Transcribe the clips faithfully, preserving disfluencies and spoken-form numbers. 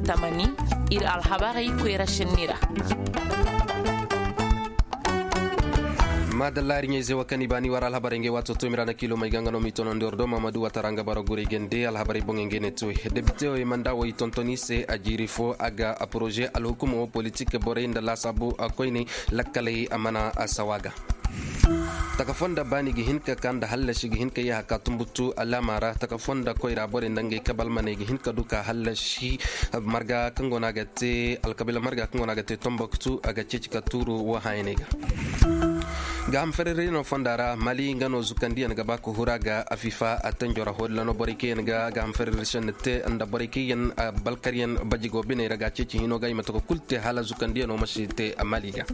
Tamani, ir alhabarey koyra šenni ra. Maadalla ir ɲayze wo kaŋ i baani war alhabarey ngey waato to mira na kiilo may ga nga no m'i tono nda war do mamadu watara nga bara gurey gande alhabarey boŋey ngey ne to. Debite wo i manda wo i tonton i se a jiiri fo a ga a poroze alhukuma wo politik borey nda laasaabu a koyney lakkaley a mana a sawa ga. Taka fonda baani ga hin ka ka nda hallasi ga hin ka yee haka tumbutu alaama ra taka fonda koyra borey nda ngey kabal maney ga hin ka du ka hallasi. Marga kaŋ go no a ga te alkabila marga kaŋ go no a ga te tomboktu a ga ceeci ka tuuru wo haayaney ga. Gaaham fererey no fonda ra mali nga no zukandiyaŋ ga ba ka hura ga afifa a tanjo ra hodila no borey kaŋ yaŋ ga gaaham fererey senni te nda borey kaŋ yaŋ balkaryaŋ bajigo biney ra ga ceeci hino ga i ma taka kulu te hala zukandiyaŋo ma si te mali ga.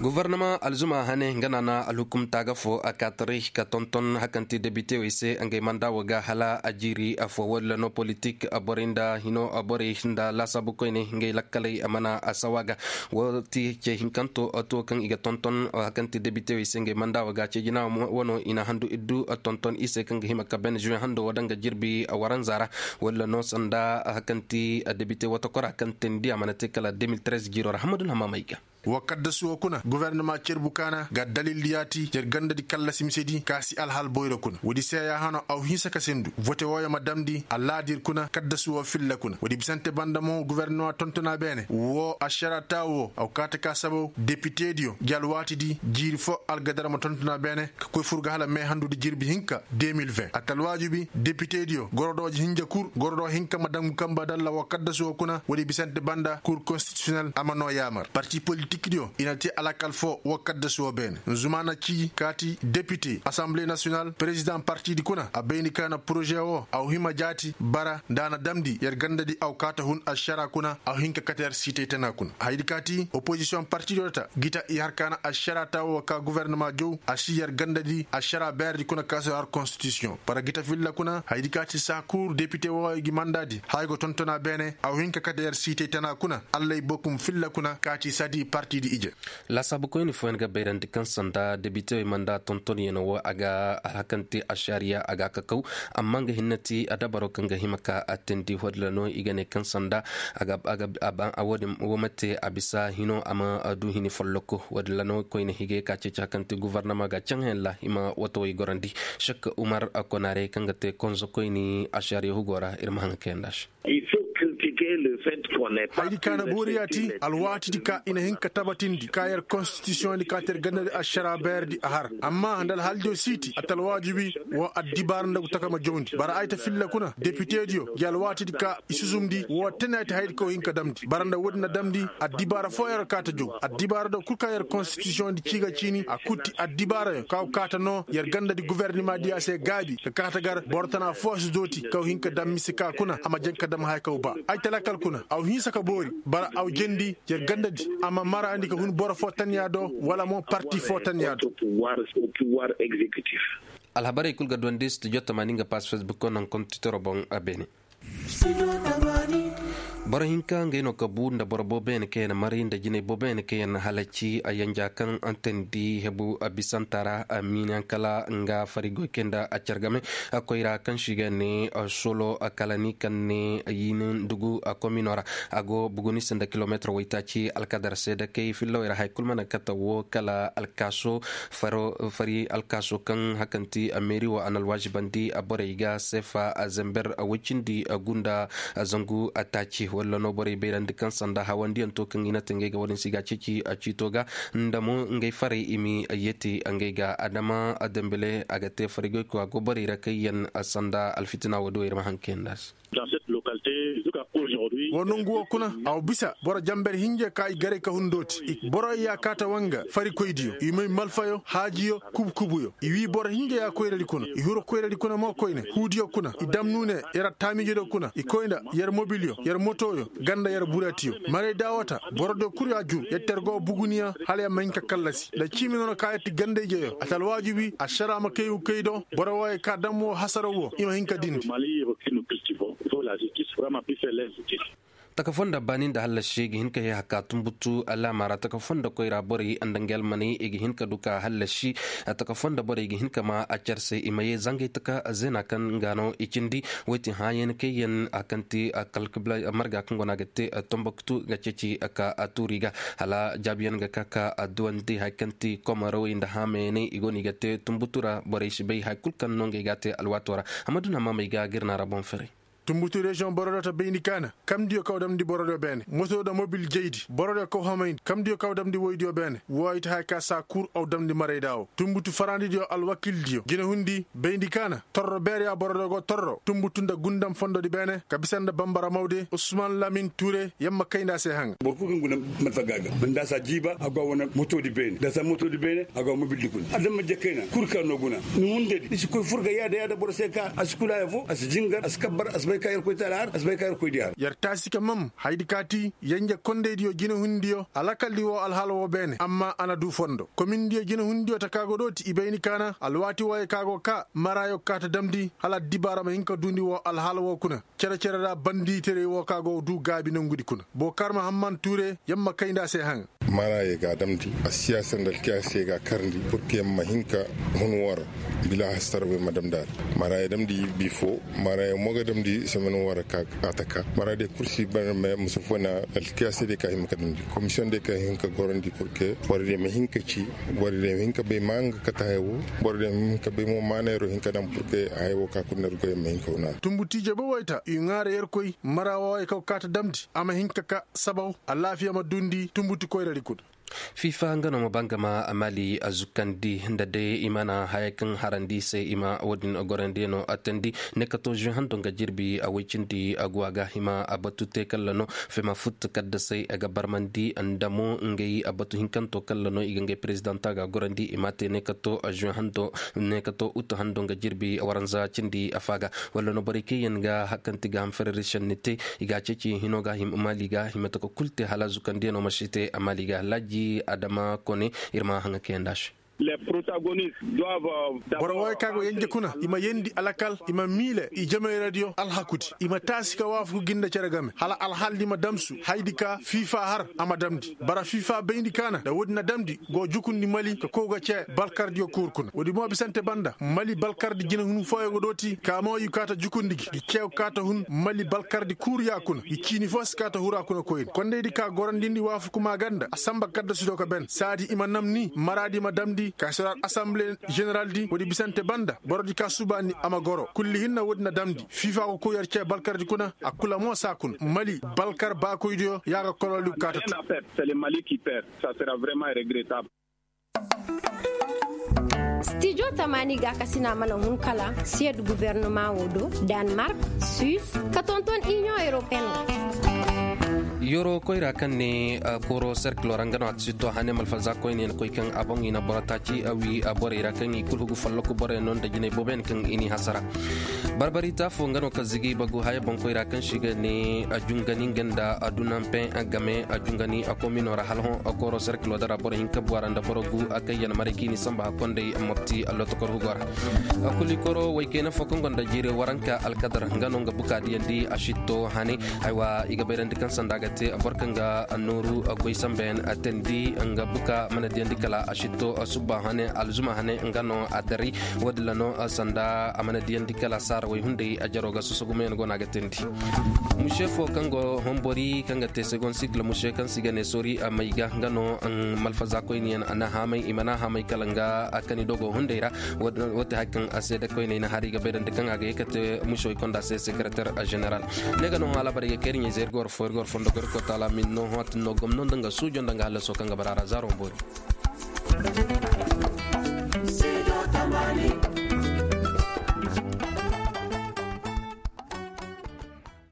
Gofornama alzuma hane nga na na alhukumta ga fo a kaataray ka tonton hakanti debitewey se ngey manda wo ga hala a jiiri afo wadilla no politik borey nda hino borey nda laasaabu koyne ngey lakkaley a mana a sawa ga. Wo ti ce hinkanto to kaŋ i ga tonton hakanti debitewey se ngey manda wo ga ce jina wano i na handu iddu tonton i se kaŋ ga hima ka ben juwe hando wo daŋ ga jirbi waranza ra. Wadilla no sanda hakanti debite wata kora kaŋ teendi a mana te kala deux mille treize jiiro ra hamadun hama may ga. Wa kaddasu wo kuna guvernama cerbu kaana ga dalildi yaati yer gandadi kallasi misedi ka si alhal boyro kuna woodi se ya hano aw hinsa ka sendu vote wooyo ma damndi allaadir kuna kaddasu wo filla kuna woodi bisante banda mo guvernama tontona beene wo ašara taawu wo aw kaata ka sabaw depitediyo gi alwaatidi jiiri fo algadara ma tontona beene ka koy fur ga hala meehandudi jirbi hinka deux mille vingt atalwaajubi depitediyo gorodooji hinja kur gorodoo hinka ma dangu kamba dalla wa kaddasu wo kuna woodi bisante banda kur konsti a ma noo yaamar parti politikdiyo i na te alakal foo wa kaddasu wo beene nzuma na cii kaati depite asanbile nasiyonal perezidaŋ partidi kuna a bayndi ka na poroze woo a wa hima jaati bara nda a na damndi yer gandadi a wa kaata hun ašara kuna a wa hin ka kate yer siitay tana kuna hayadi kaati opozisiyoŋ partidiyo ta gita i har ka na ašara ta woo ka guvernama jow a si yer gandadi ašara beeredi kuna ka si har konstitisiyoŋ bara gita filla kuna hayadi kaati saa kul depite woo gi mandaadi haya go tontona beene a wa hin ka kate yer siitay tana kuna allay bokum filla kuna kaati sadi partidi ije. Laasaabukoyni fooyaŋ ga bayrandi kaŋ sanda debitewey manda tontonyaŋ wo a ga alhakanti ašariya a ga a kakaw amma nga hinne ti adabaro kaŋ ga hima ka a teendi wadilla no i ga ne kaŋ sanda a ga a ga a ba a woodin wo ma te a bisa hino a ma du hini folloko wadilla no koyne higay ka ceeci hakanti guvarnama ga caŋ hayaŋ ra i ma watawey gorandi. Sekka umar konaarey kaŋ ga te konzokoyni ašariya hugo ra ir ma haŋ ga kayandi a se. Hayadi ka na boori ya ti alwaatidi ka i na hin ka tabatindi ka yer konstitisiyoŋdi ka te yer gandadi ašara beeredi a har amma nda alhaljo siiti a ta alwaajibi wo addibaara nda gu taka ma jawndi bara ay ta filla kuna depitediyo gi alwaatidi ka i susumndi wo tene ay ta hayadi ka wo hin ka damndi bara nda woodi na damndi addibaara foo yer kaa ta jaw addibaara do kul ka yer konstitisiyoŋdi cii ga ciini a kul ti addibaarayo ka go kaa ta noo yer gandadi guvernima diya se gaabi ka kaa ta gar boro tana foo si dooti ka go hin ka dam mise ka kuna a ma jaŋ ka dam haya ka go ba ay ta lakkal kuna a go hinsa ka boori bara a go jeendi yer gandadi a ma maraandi ka hun boro foo tanniya do wala mo parti foo tanniya do. Alhabarey kul ga duwandi studio tamaani nga pass facebook ko naŋ kontitoro boŋ a beene. Boro hinka ngey no ka bu nda boro booboyaŋ kaŋ yaŋ mari nda jinay booboyaŋ kaŋ yaŋ halaci a yanja kaŋ a teendi hebu a bisanta ra a miinayaŋ kala nga fari goy kay nda a care game. Koyra kaŋ se i ga ne solo kala ni kaŋ ne yinindugu komino ra a go buguni se nda kilomeetir waytaaci alkadar se dakey fillawey ra haya kulu mana kate wo kala alkaaso fari alkaaso kaŋ hakanti meeri wo a na alwaazibandi borey ga seefa zember woy cindi gunda zangu taaci walla no borey bayrandi kaŋ sanda hawandiyaŋ to kaŋ i na te ngey ga wo-din se i ga a ceeci ciito ga nda mo ngey farey i ma yeeti ngey ga adama dembele a ga te fari goy ko a go borey ra kaŋ yaŋ sanda alfitina wo-din wo ir ma haŋ kayandi a se. Wa nongu wo kuna a wa bisa boro jamber hinje ka i garay ka hun dooti boro ya kaata wanga farikoydiyo i may malfayo haajiyo kubkubuyo i wii boro hinje ya koyradi kuna i huru koyradi kuna mo koyne huudiyo kuna i dam nuune yer attaamiijediyo kuna i koy nda yer mobilyo yer motoyo ganda yer buratiyo maray daawata borodiyo kul ya jur yer ter go buguniya hala yer ma hin ka kallasi nda ciimi noona ka yer ti gandayjeyo a ta alwaajibi ašara ma kay gu kay do boro wooyo ka dam woo hasaraw woo i ma hin ka dindi. Taka fondo baani nda hallasi ga hin ka hee haka tumbutu alaama ra taka fondo koyra borey nda nga almaney i ga hin ka du ka hallasi. Taka fondo borey ga hin ka ma a care se i ma yee zangay taka zeena kaŋ ga no i cindi. Woy ti hãayan kayyan a kaŋ ti marga kaŋ go no a ga te tomboktu ga ceeci ka tuuri ga hala jaabiyaŋ ga ka ka duwandi haya kaŋ ti komarawey nda haamayey i go no i ga te tumbutu ra borey si bay haya kulu kaŋ no ngey ga a te alwaato ra. Amma duna maamey ga ga ir na ra boŋ ferey. Tumbutu reziyoŋ boro do ta bayndi kaana kamdiyo kaw damndi boro do beene moto nda mobil jaydi boro do kaw hamayndi kamdiyo kaw damndi woydiyo beene. Wo ay ta haya ka saa kul aw damndi marayda wo tumbutu farandidiyo alwakildiyo jinehundi bayndi kaana torro beereya boro do go torro tumbutu nda gundam fondodi beene ka bisa nda bambara mawde usman lamin ture yamma kaynda se haŋa. Boro kul kaŋ guna malfa ga ga nda saa jiiba a go a wane motoodi beene nda saa motoodi beene a go a mobildi kuna adama jekayna kul kaŋ no guna. Ni hundedi i si koy fur ga yaada yaada boro se ka a si kula haya fo a si jingar a si kabbar a si bay ka yerkoy te alhar a si bay ka yerkoy di har. Yer taasi ka mam haydi kaati yanje kondaydiyo jinehundiyo alakaldi wo alhaala wo beene amma a na du fondo komindiyo jinehundiyo ta ka go dooti i bayni kaana alwaati wooyo ka go ka maraayo kaata damndi hala addibaara ma hin ka duundi wo alhaala wo kuna. Cere-cere ra bandiitaray wo ka go du gaabi nongudi kuna bookar mahamman tuure yamma kayndi a se haŋ. Maraayey ga a damndi assiyaasa nda alkiyaasey ga a karndi purke yamma hin ka hun woo ra bila hastarwey ma damndi a ra. Maraayey damndi bifo maraayey mo ga damndi semen woo ra ka a taka maraayey day kul si bare me musa fo na alkiyaasey day ka hima ka damndi komisiyoŋ day ka hin ka gorandi purke boro day ma hin ka ci boro day ma hin ka bay ma nga kate haya woo boro day ma hin ka bay mo maanayro hin ka daŋ purke haya woo ka kul na ir goyey ma hin ka wu na a ra. Tumbutu ije boboy ta i ŋaara yerkoy mara wooyo kaw kaata damndi a ma hin ka ka sabaw alaafiya ma duundi tumbutu koyradi kuna. Fiifa nga no ma ba nga ma maali a zukandi nda day i mana haya kaŋ harandi i se i ma wo-din gorandiyaŋo attandi ne kato zuwe hando nga jirbi a woy cindi a go a ga hima a batu te kalla no fema fut kaddasey a ga barmandi nda mo ngey a batu hinkanto kalla no i ga ngey perezidanta ga gorandi i ma te ne kato zuwe hando ne kato utu hando nga jirbi waranza cindi a faaga walla no borey kaŋ yaŋ ga hakanti ga ham fererisiyaŋ ni te i ga a ceeci hino ga hima maali ga hima taka kul te hala zukandiyaŋo ma si te a maali ga alhaji adama kone ir ma haŋa kayandi a se. Boro wooyo kaŋ go yenje kuna i ma yeendi alakal i ma miile i jamayradiyo alhakudi i ma taasi ka waafaku gi nda cere game hala alhaaldi ma damsu haydi ka fiifa har a ma damndi bara fiifa bayndi kaana nda woodi na damndi go jukundi mali ka kow ga cee balkardiyo kuuru kuna woodi mo bisante banda mali balkardi jinehunu fooyaŋ ga dooti ka mo i kaata jukundi gi gi ceew kaata hun mali balkardi kuuru ya kuna gi ciini foo si kaata hura kuna koyni kondaydi ka gorandindi waafaku maaganda a samba kaddasido ka ben saadi i ma nam ni maraadi ma damndi ka seraat asamble ženeraldi woodi bisante banda borodi ka subaani a ma goro kulli hinna woodi na damndi fiifa go kow yer cee balkardi kuna a kula mo saa kuna mali balkar baakoydiyo ya ga kololi kaata tu. Stijo tamaani gaakasina mana hun kala siyed guwernama wo do, danmark, suis ka tonton inion europeen. Yoro koyra kaŋ ne kooro serkilo ra nga no a ga si to hane malfaza koyne koy kaŋ a boŋ i na boro taaci a wi borey ra kaŋ i kulu hugu folloku borey no nda jinay boobo yaŋ kaŋ i n'i hasara. Barbari taafo nga no ka zigi bagu haya boŋ koyra kaŋ si ga ne a jungani nga nda a dunampe game a jungani a komino ra hala hõ a kooro serkilo dara boro hinka buwara nda boro gu a kaŋ yaŋ maray kaŋ i ni samba hakkonday mopti a lotokor hugo ra. A kuli koro waykayna fo kaŋ gonda jiiri waranka alkadar nga no nga buka diyandi a sitto hane. Aywa i ga bayrandi kaŋ sanda ga te boro kaŋ ga nooru goy sambeyaŋ a teendi nga buka mana diyandi kala a sitto subba hane alzuma hane nga no a dari. Wo- din ra no sanda a mana diyandi kala saara way hunday a jaro ga sosogumayaŋ go no a ga teendi. Muse fo kaŋ go hombori kaŋ ga te segon sigla muse kaŋ si ga ne sori a may ga nga no malfaza koyne yaŋ a na haamay i mana haamay kala nga a kani dogo hunday ra. Wo- te hari kaŋ a seeda koyney na hari ga bayrandi kaŋ a ga ye ka te muse way konda se sekreter general. Ne ga no hõ alabari ga kayri ɲayze ir ga war fo ir ga war fondo ga ir koota alamin no hõ a tin no gomno nda nga suujo nda nga hallaso kaŋ ga bara a ra zaaro boori.